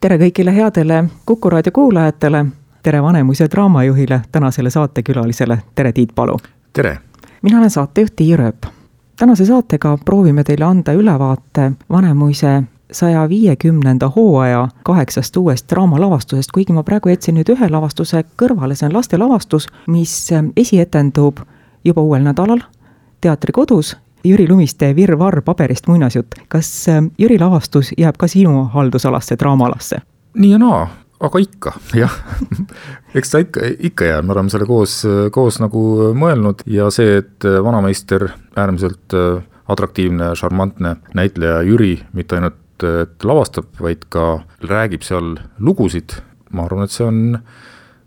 tere kõigile headele Kuku raadio kuulajatele, tere Vanemuise draamajuhile, tänasele saatekülalisele, tere Tiit Palu. Tere! Mina olen saatejuht Tiia Rööp. Tänase saatega proovime teile anda ülevaate Vanemuise 150. hooaja 8 uuest draamalavastusest, kuigi ma praegu jätsin nüüd ühe lavastuse kõrvale, see on lastelavastus, mis esietendub juba uuel nädalal teatrikodus. Jüri Lumiste Virvarr paberist muinasjutt. Kas Jüri lavastus jääb ka sinu haldusalasse, draamalasse? Nii ja naa, aga ikka, jah. Eks ta ikka jääb, me oleme selle koos nagu mõelnud ja see, et vanameister, äärmiselt atraktiivne, šarmantne näitleja Jüri, mitte ainult et lavastab, vaid ka räägib seal lugusid. Ma arvan, et see on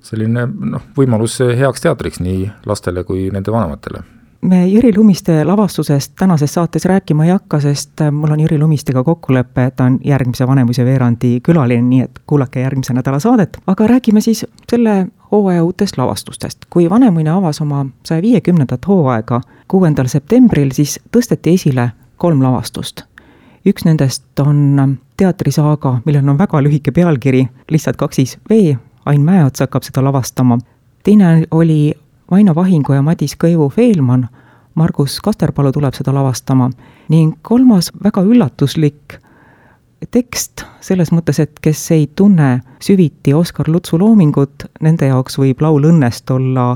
selline võimalus heaks teatriks nii lastele kui nende vanematele. Me Jüri Lumiste lavastusest tänases saates rääkima ei hakka, sest mul on Jüri Lumistega kokkulepe, et ta on järgmise Vanemuise veerandi külaline, nii et kuulake järgmise nädala saadet. Aga räägime siis selle hooaja uutest lavastustest. Kui Vanemuine avas oma 150. hooaega 6. septembril, siis tõsteti esile 3 lavastust. Üks nendest on teatrisaaga, millel on väga lühike pealkiri, lihtsalt 2 V, Ain Mäeots hakkab seda lavastama. Teine oli Vaino Vahingu ja Madis Kõivu Feelman, Margus Kasterpalu tuleb seda lavastama. Ning 3. väga üllatuslik tekst selles mõttes, et kes ei tunne süviti Oskar Lutsu loomingut, nende jaoks võib laul õnnest olla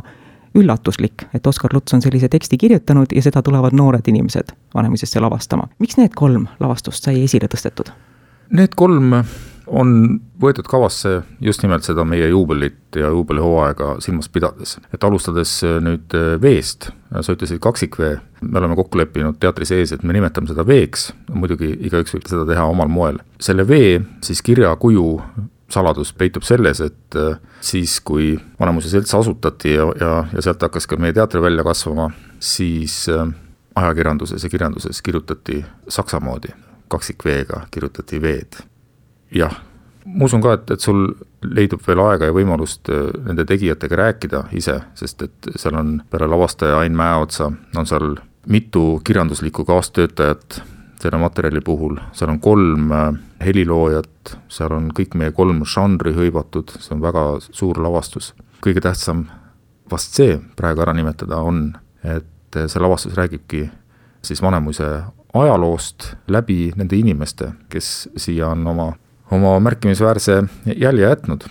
üllatuslik, et Oskar Luts on sellise teksti kirjutanud ja seda tulevad noored inimesed Vanemuisesse lavastama. Miks need 3 lavastust sai esile tõstetud? Need 3 on võetud kavasse just nimelt seda meie juubelit ja juubelihooaega silmas pidades. Et alustades nüüd V-st, sa ütlesid 2 V, me oleme kokku leppinud teatri sees, et me nimetame seda V-ks, muidugi igaüks võib seda teha omal moel. Selle V siis kirja kuju saladus peitub selles, et siis kui Vanemuise selts asutati ja sealt hakkas ka meie teatri välja kasvama, siis ajakirjanduses ja kirjanduses kirjutati saksamoodi, 2 V-ga kirjutati V-d. Jah, ma usun ka, et sul leidub veel aega ja võimalust nende tegijatega rääkida ise, sest et seal on peale lavastaja Ain Mäeotsa, on seal mitu kirjanduslikku kaastöötajat selle materjali puhul, seal on 3 heliloojat, seal on kõik meie 3 žanri hõivatud, see on väga suur lavastus. Kõige tähtsam vast see praegu ära nimetada on, et see lavastus räägibki siis Vanemuise ajaloost läbi nende inimeste, kes siia on oma märkimisväärse jälje jätnud.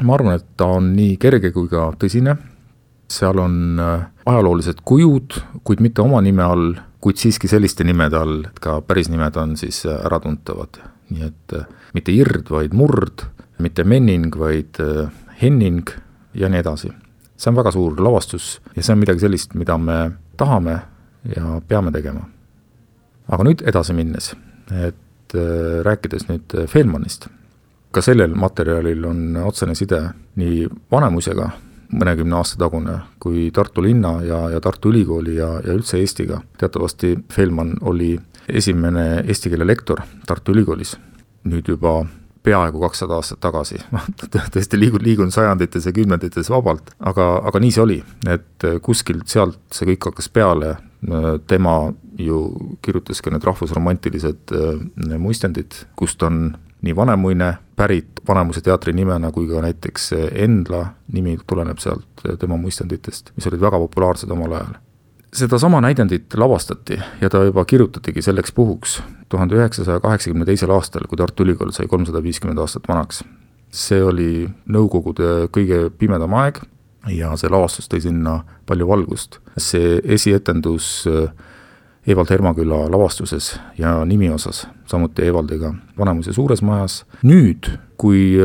Ma arvan, et ta on nii kerge kui ka tõsine. Seal on ajaloolised kujud, kuid mitte oma nime all, kuid siiski selliste nimede all, et ka päris nimed on siis äratuntavad. Nii et mitte Ird, vaid Murd, mitte Menning, vaid Henning ja nii edasi. See on väga suur lavastus ja see on midagi sellist, mida me tahame ja peame tegema. Aga nüüd edasi minnes, et rääkides nüüd Feelmanist. Ka sellel materjalil on otsene side nii Vanemuisega, mõnekümne aasta tagune, kui Tartu linna ja Tartu ülikooli ja üldse Eestiga. Teatavasti Feelman oli esimene eesti keele lektor Tartu ülikoolis, nüüd juba peaaegu 200 aastat tagasi. Tõesti liigun sajandites ja kümnendites vabalt, aga nii see oli, et kuskilt sealt see kõik hakkas peale. Tema ju kirjutas ka need rahvusromantilised muistendid, kust on nii Vanemuine pärit Vanemuise teatri nimena kui ka näiteks Endla nimi tuleneb sealt tema muistenditest, mis olid väga populaarsed omal ajal. Seda sama näidendit lavastati ja ta juba kirjutatigi selleks puhuks 1982. aastal, kui Tartu Ülikool sai 350 aastat vanaks. See oli Nõukogude kõige pimedam aeg ja see lavastus tõi sinna palju valgust. See esietendus Evald Hermaküla lavastuses ja nimi osas, samuti Evaldiga Vanemuise suures majas. Nüüd, kui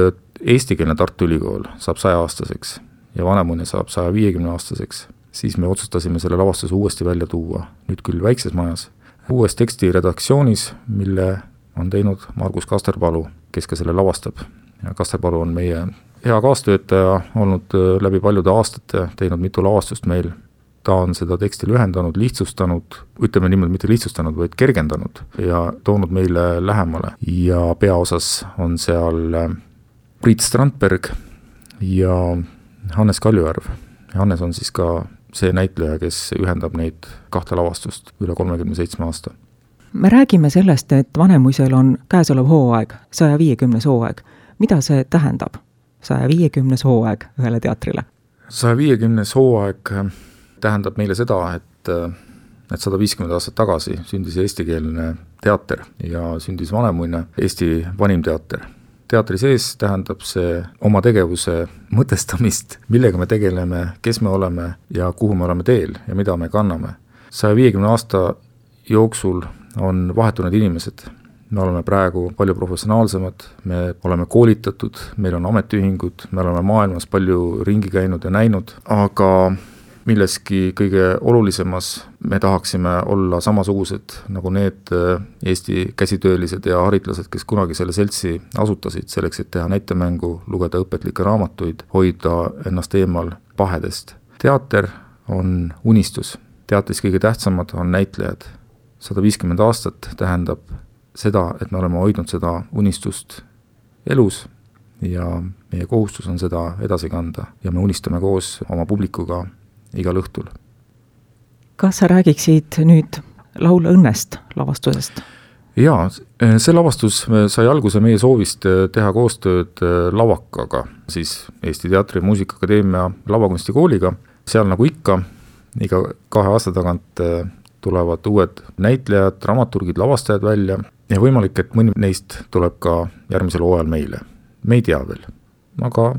eestikeelne Tartu Ülikool saab 100-aastaseks ja Vanemuine saab 150-aastaseks, siis me otsustasime selle lavastuse uuesti välja tuua, nüüd küll väikses majas, uues teksti redaktsioonis, mille on teinud Margus Kasterpalu, kes ka selle lavastab. Ja Kasterpalu on meie hea kaastöötaja olnud läbi paljude aastate, teinud mitu lavastust meil. Ta on seda teksti lühendanud, lihtsustanud, ütleme niimoodi mitte lihtsustanud, vaid kergendanud ja toonud meile lähemale. Ja peaosas on seal Priit Strandberg ja Hannes Kaljujärv. Hannes on siis ka see näitleja, kes ühendab neid 2 lavastust üle 37 aasta. Me räägime sellest, et Vanemuisel on käesolev hooaeg, 150. hooaeg. mida see tähendab, 150. hooaeg ühele teatrile? 150. hooaeg tähendab meile seda, et 150 aastat tagasi sündis eestikeelne teater ja sündis Vanemuine Eesti vanim teater. Teatri sees tähendab see oma tegevuse mõtestamist, millega me tegeleme, kes me oleme ja kuhu me oleme teel ja mida me kanname. 150 aasta jooksul on vahetunud inimesed. Me oleme praegu palju professionaalsemad, me oleme koolitatud, meil on ametiühingud, me oleme maailmas palju ringi käinud ja näinud, aga milleski kõige olulisemas me tahaksime olla samasugused nagu need Eesti käsitöölised ja haritlased, kes kunagi selle seltsi asutasid selleks, et teha näitemängu, lugeda õpetlikke raamatuid, hoida ennast eemal pahedest. Teater on unistus, teatris kõige tähtsamad on näitlejad. 150 aastat tähendab seda, et me oleme hoidnud seda unistust elus ja meie kohustus on seda edasi kanda ja me unistame koos oma publikuga igal õhtul. Kas sa räägiksid nüüd Laul õnnest lavastusest? Jaa, see lavastus sai alguse meie soovist teha koostööd Lavakaga, siis Eesti Teatri- ja Muusikaakadeemia lavakunstikooliga. Seal nagu ikka, iga 2 aasta tagant tulevad uued näitlejad, dramaturgid, lavastajad välja ja võimalik, et mõni neist tuleb ka järgmisel hooajal meile. Me ei tea veel, aga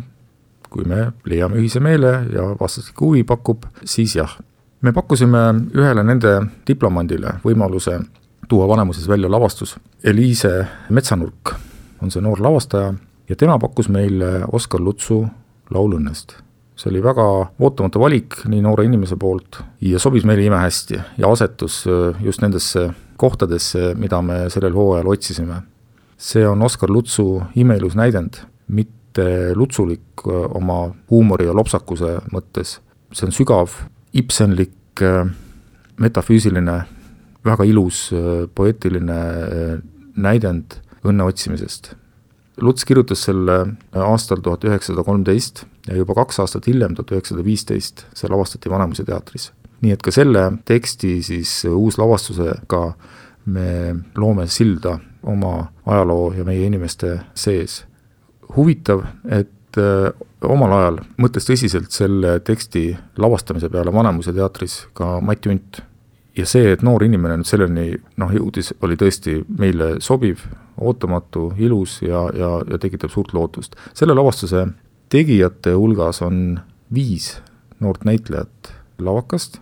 kui me leiame ühise meele ja vastastikku huvi pakub, siis jah. Me pakkusime ühele nende diplomandile võimaluse tuua Vanemuises välja lavastus. Eliise Metsanurk on see noor lavastaja ja tema pakkus meile Oskar Lutsu Laul õnnest. See oli väga ootamatu valik nii noore inimese poolt ja sobis meile imehästi ja asetus just nendesse kohtadesse, mida me sellel hooajal otsisime. See on Oskar Lutsu imeilus näidend, mitte lutsulik oma huumori ja lopsakuse mõttes. See on sügav, ibsenlik, metafüüsiline, väga ilus, poeetiline näidend õnne otsimisest. Luts kirjutas selle aastal 1913 ja juba 2 aastat hiljem, 1915, see lavastati Vanemuise teatris. Nii et ka selle teksti siis uuslavastusega me loome silda oma ajaloo ja meie inimeste sees. Huvitav, et omal ajal mõtles tõsiselt selle teksti lavastamise peale Vanemuise teatris ka Mati Unt. Ja see, et noor inimene nüüd selleni jõudis, oli tõesti meile sobiv, ootamatu, ilus ja tekitab suurt lootust. Selle lavastuse tegijate hulgas on 5 noort näitlejat Lavakast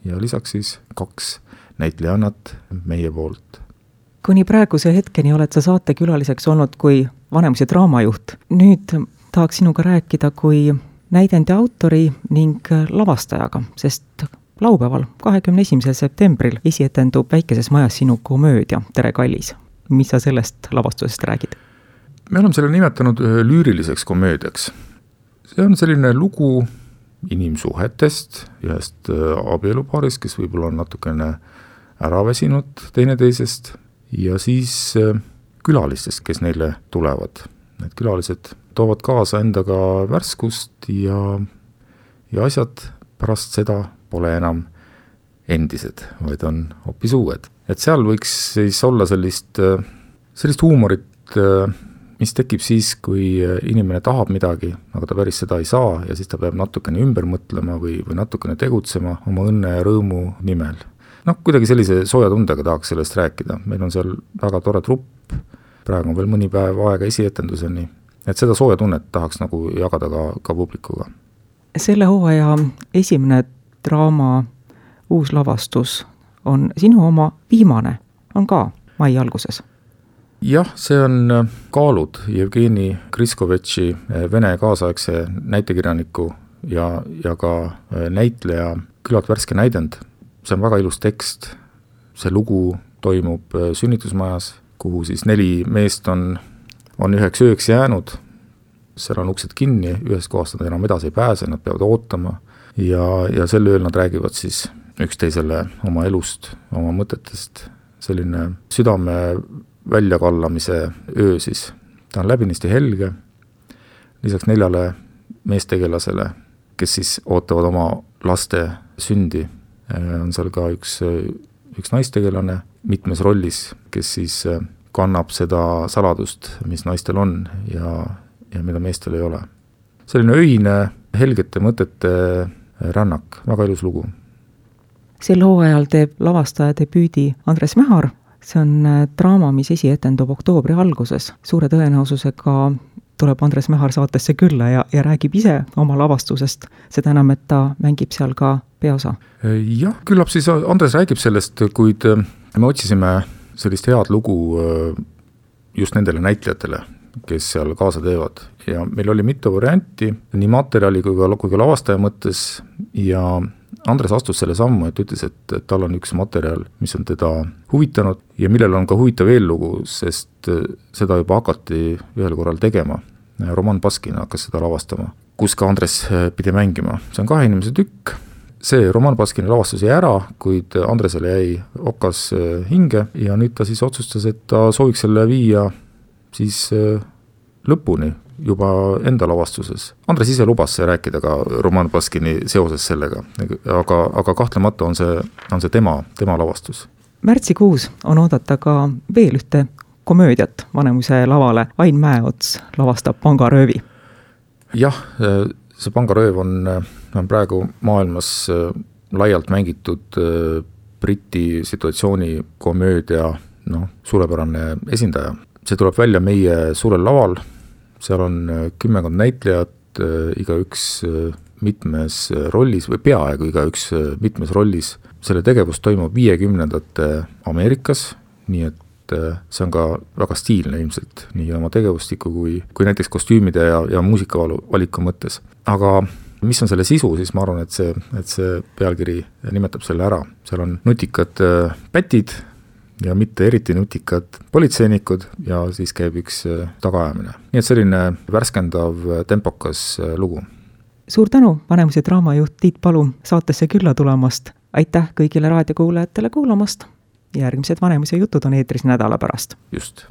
ja lisaks siis 2 näitlejannat meie poolt. Kuni praeguse hetkeni oled sa saatekülaliseks olnud kui Vanemuise draamajuht. Nüüd tahaks sinuga rääkida kui näidendi autori ning lavastajaga, sest laupäeval 21. septembril esietendub Väikeses majas sinu komöödia Tere kallis. Mis sa sellest lavastusest räägid? Me oleme selle nimetanud lüüriliseks komöödiaks. See on selline lugu inimsuhetest, ühest abielupaarist, kes võib-olla on natukene äraväsinud teineteisest ja siis külalistest, kes neile tulevad. Need külalised toovad kaasa endaga värskust ja asjad pärast seda pole enam endised, vaid on hoopis uued. Et seal võiks siis olla sellist huumorit, mis tekib siis, kui inimene tahab midagi, aga ta päris seda ei saa ja siis ta peab natukene ümber mõtlema või natukene tegutsema oma õnne ja rõõmu nimel. Kuidagi sellise sooja tundega tahaks sellest rääkida. Meil on seal väga tore trupp, praegu on veel mõni päev aega esietenduseni, et seda sooja tunnet tahaks nagu jagada ka publikuga. Selle hooaja esimene draama uus lavastus on sinu oma viimane, on ka mai alguses. Jah, see on Kaalud Jevgeni Kriskovetši vene kaasaegse näitekirjaniku ja ka näitleja küllalt värske näidend. See on väga ilus tekst. See lugu toimub sünnitusmajas, kuhu siis 4 meest on üheks ööks jäänud. Seal on uksed kinni, ühest kohast nad enam edasi ei pääse, nad peavad ootama ja sel ööl nad räägivad siis üksteisele oma elust, oma mõtetest. Selline südame väljakallamise öö siis. Ta on läbinisti helge, lisaks 4 meestegelasele, kes siis ootavad oma laste sündi. On seal ka üks naistegelane mitmes rollis, kes siis kannab seda saladust, mis naistel on ja mida meestel ei ole. Selline öine, helgete mõtete rännak, väga ilus lugu. Sel hooajal teeb lavastaja debüüdi Andres Mähar, see on draama, mis esietendub oktoobri alguses. Suure tõenäosusega tuleb Andres Mähar saatesse külla ja räägib ise oma lavastusest, seda enam, et ta mängib seal ka peaosa. Jah, küllap siis Andres räägib sellest, kuid me otsisime sellist head lugu just nendele näitlejatele, kes seal kaasa teevad. Ja meil oli mitu varianti, nii materjali kui ka lavastaja mõttes ja Andres astus selle sammu, et ütles, et tal on üks materjal, mis on teda huvitanud ja millel on ka huvitav eellugu, sest seda juba hakati ühel korral tegema. Roman Baskin hakkas seda lavastama, kus ka Andres pidi mängima. See on 2 inimese tükk. See Roman Baskini lavastus jäi ära, kuid Andresele jäi okas hinge ja nüüd ta siis otsustas, et ta sooviks selle viia siis lõpuni juba enda lavastuses. Andres ise lubas rääkida ka Roman Baskini seoses sellega, aga kahtlemata on see tema lavastus. Märtsikuus on oodata ka veel ühte komöödiat Vanemuise lavale. Ain Mäeots lavastab Pangaröövi. Jah, see Pangarööv on praegu maailmas laialt mängitud Briti situatsiooni komöödia suurepärane esindaja. See tuleb välja meie suurel laval, seal on 10 näitlejat, igaüks mitmes rollis või peaaegu igaüks mitmes rollis. Selle tegevus toimub 50ndate Ameerikas, nii et see on ka väga stiilne ilmselt, nii oma tegevustiku kui näiteks kostüümide ja muusikavaliku mõttes. Aga mis on selle sisu, siis ma arvan, et see pealkiri nimetab selle ära. Seal on nutikad pätid ja mitte eriti nutikad politseinikud ja siis käib üks tagaajamine. Nii et selline värskendav tempokas lugu. Suur tänu, Vanemuise draamajuht Tiit Palu saatesse külla tulemast. Aitäh kõigile raadiokuulajatele kuulamast. Järgmised Vanemuise jutud on eetris nädala pärast. Just.